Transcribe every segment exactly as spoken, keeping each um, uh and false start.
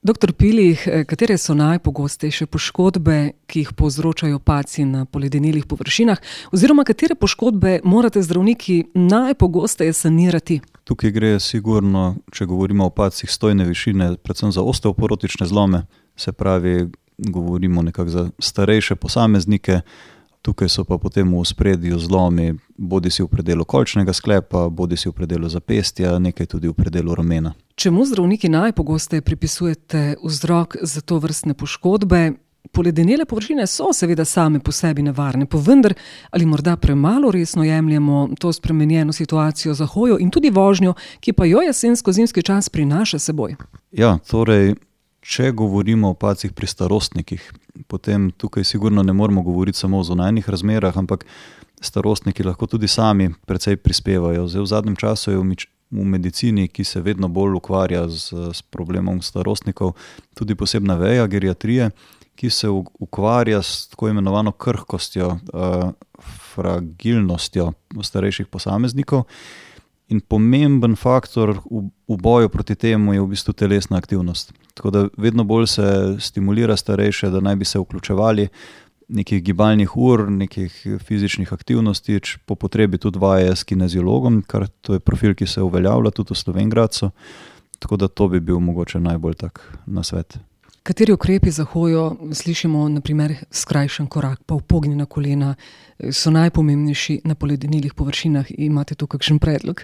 Doktor Pilih, katere so najpogostejše poškodbe, ki jih povzročajo padci na poledenelih površinah, oziroma katere poškodbe morate zdravniki najpogosteje sanirati? Tukaj gre sigurno, če govorimo o padcih stojne višine, predvsem za osteoporotične zlome, se pravi, govorimo nekako za starejše posameznike. Tukaj so pa potem v ospredju zlomi, bodi si v predelu kolčnega sklepa, bodi si v predelu zapestja, nekaj tudi v predelu ramena. Čemu zdravniki najpogosteje pripisujete vzrok za to vrstne poškodbe? Poledenele površine so seveda same po sebi nevarne, pa vendar ali morda premalo resno jemljemo to spremenjeno situacijo za hojo in tudi vožnjo, ki pa jo jesensko-zimski čas prinaša seboj? Ja, torej, če govorimo o padcih pri starostnikih, potem tukaj sigurno ne moramo govoriti samo o zunanjih razmerah, ampak starostniki lahko tudi sami precej prispevajo. Zdaj v zadnjem času je v, v medicini, ki se vedno bolj ukvarja z, s problemom starostnikov, tudi posebna veja geriatrije, ki se ukvarja s tako imenovano krhkostjo, uh, fragilnostjo starejših posameznikov. In pomemben faktor v, v boju proti temu je v bistvu telesna aktivnost. Tako da vedno bolj se stimulira starejše, da naj bi se vključevali nekih gibalnih ur, nekih fizičnih aktivnosti, po potrebi tudi vaje s kineziologom, kar to je profil, ki se uveljavlja tudi v Slovenj Gradcu. Tako da to bi bil mogoče najbolj tak nasvet. Kateri ukrepi za hojo, slišimo na primer skrajšan korak, pa upognjena kolena, so najpomembnejši na poledenelih površinah? Imate tu kakšen predlog?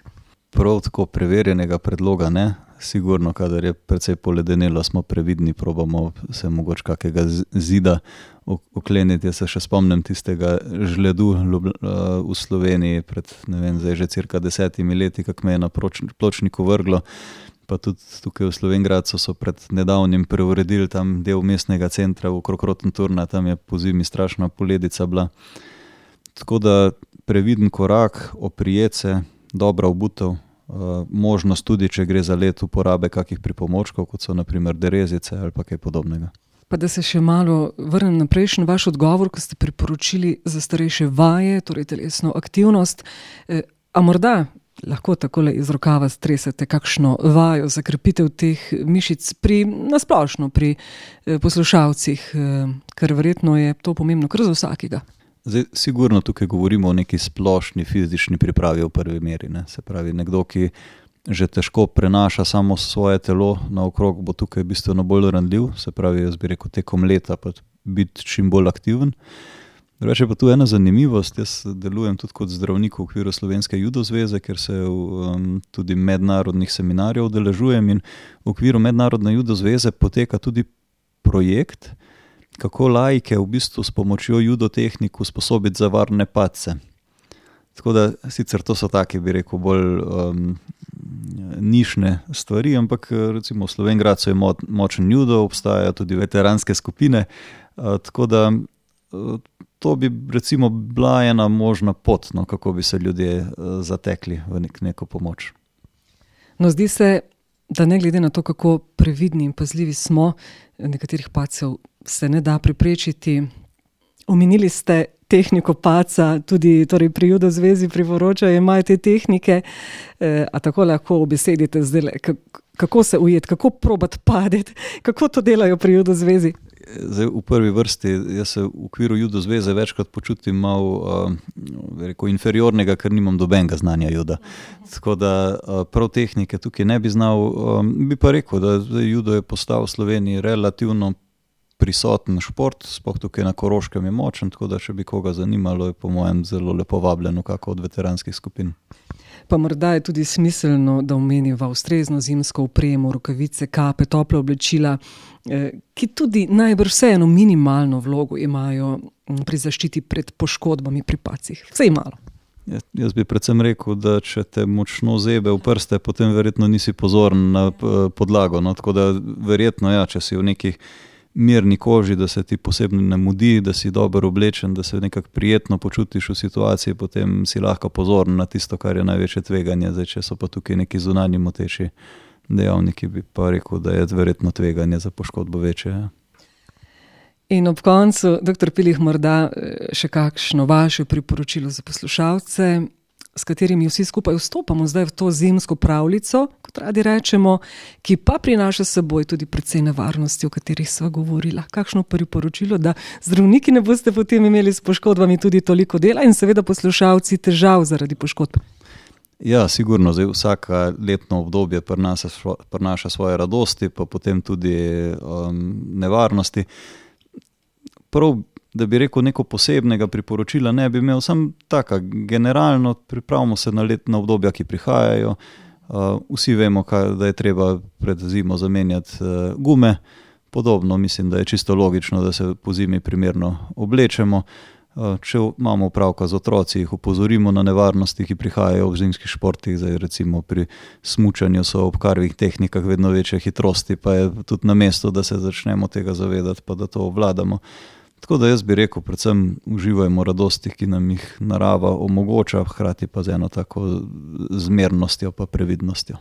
Prav tako preverjenega predloga ne. Sigurno, kadar je precej poledenelo, smo previdni, probamo se mogoče kakega zida okleniti. Jaz se še spomnim tistega žledu v Sloveniji pred, ne vem, zdaj že cirka desetimi leti, kak me je na pločniku vrglo. Pa tudi tukaj v Slovenj Gradcu so pred nedavnim preuredili tam del mestnega centra okrog Rotenturna, tam je po zimi strašna poledica bila. Tako da previden korak, oprijeti se, dobra obutev, možnost tudi, če gre za let uporabe kakih pripomočkov, kot so na primer derezice ali pa kaj podobnega. Pa da se še malo vrnem na prejšnji vaš odgovor, ko ste priporočili za starejše vaje, torej telesno aktivnost, a morda lahko takole iz rokava stresete kakšno vajo za krepitev teh mišic pri, nasplošno pri poslušalcih, ker verjetno je to pomembno kar za vsakega. Zdaj, sigurno tukaj govorimo o neki splošni fizični pripravi v prvi meri, ne. Se pravi, nekdo, ki že težko prenaša samo svoje telo naokrog, bo tukaj bistveno bolj ranljiv, se pravi, jaz bi rekel tekom leta pa biti čim bolj aktiven. Drugače pa tu ena zanimivost, jaz delujem tudi kot zdravnik v okviru Slovenske judo zveze, ker se um, tudi mednarodnih seminarjev udeležujem, in v okviru mednarodne judo zveze poteka tudi projekt, kako laike v bistvu s pomočjo judo tehnik usposobiti za varne padce. Tako da sicer to so take, bi rekel, bolj um, nišne stvari, ampak recimo v Slovenj Gradcu je mo- močen judo, obstajajo tudi veteranske skupine, uh, tako da uh, to bi recimo bila ena možna pot, no, kako bi se ljudje uh, zatekli v nek, neko pomoč. No, zdi se, da ne glede na to, kako previdni in pazljivi smo, nekaterih padcev se ne da preprečiti. Omenili ste tehniko padca, tudi torej pri judo zvezi priporočajo, imajo te tehnike, eh, a tako lahko obesedite zdaj, kako se ujeti, kako probati padeti, kako to delajo pri judo zvezi? Zdaj, v prvi vrsti, jaz se v okviru judo zveze večkrat počutim malo uh, rekel, inferiornega, ker nimam dobenega znanja juda. Tako da uh, prav tehnike tukaj ne bi znal, um, bi pa rekel, da judo je postal v Sloveniji relativno prisoten šport, sploh tukaj na Koroškem je močen, tako da če bi koga zanimalo, je po mojem zelo lepo vabljeno kako od veteranskih skupin. Pa morda je tudi smiselno, da omeniva ustrezno zimsko opremo, rokavice, kape, tople oblečila, ki tudi najbrž vseeno minimalno vlogo imajo pri zaščiti pred poškodbami pri padcih. Vsej malo. Jaz, jaz bi predvsem rekel, da če te močno zebe v prste, potem verjetno nisi pozoren na podlago. No? Tako da verjetno, ja, če si v nekih mirni koži, da se ti posebno ne mudi, da si dobro oblečen, da se nekako prijetno počutiš v situaciji, potem si lahko pozoren na tisto, kar je največje tveganje. Zdaj, če so pa tukaj neki zunanji moteči dejavniki, bi pa rekel, da je verjetno tveganje za poškodbo večje. Ja. In ob koncu, doktor Pilih, morda še kakšno vaše priporočilo za poslušalce, s katerimi vsi skupaj vstopamo zdaj v to zimsko pravljico, kot radi rečemo, ki pa prinaša s seboj tudi precej nevarnosti, o katerih sva govorila. Kakšno priporočilo, da zdravniki ne boste potem imeli s poškodbami tudi toliko dela in seveda poslušalci težav zaradi poškodb? Ja, sigurno, zdaj vsaka letno obdobje prinaša, prinaša svoje radosti, pa potem tudi um, nevarnosti. Prav, da bi rekel neko posebnega priporočila, ne bi imel, sam taka, generalno pripravimo se na letna obdobja, ki prihajajo. Uh, vsi vemo, kaj, da je treba pred zimo zamenjati uh, gume. Podobno mislim, da je čisto logično, da se po zimi primerno oblečemo. Uh, če imamo opravka z otroci, jih opozorimo na nevarnosti, ki prihajajo v zimskih športih. Zdaj recimo pri smučanju so ob karvih tehnikah vedno večje hitrosti, pa je tudi na mestu, da se začnemo tega zavedati, pa da to obvladamo. Tako da jaz bi rekel, predvsem uživajmo radosti, ki nam jih narava omogoča, hkrati pa z eno tako zmernostjo pa previdnostjo.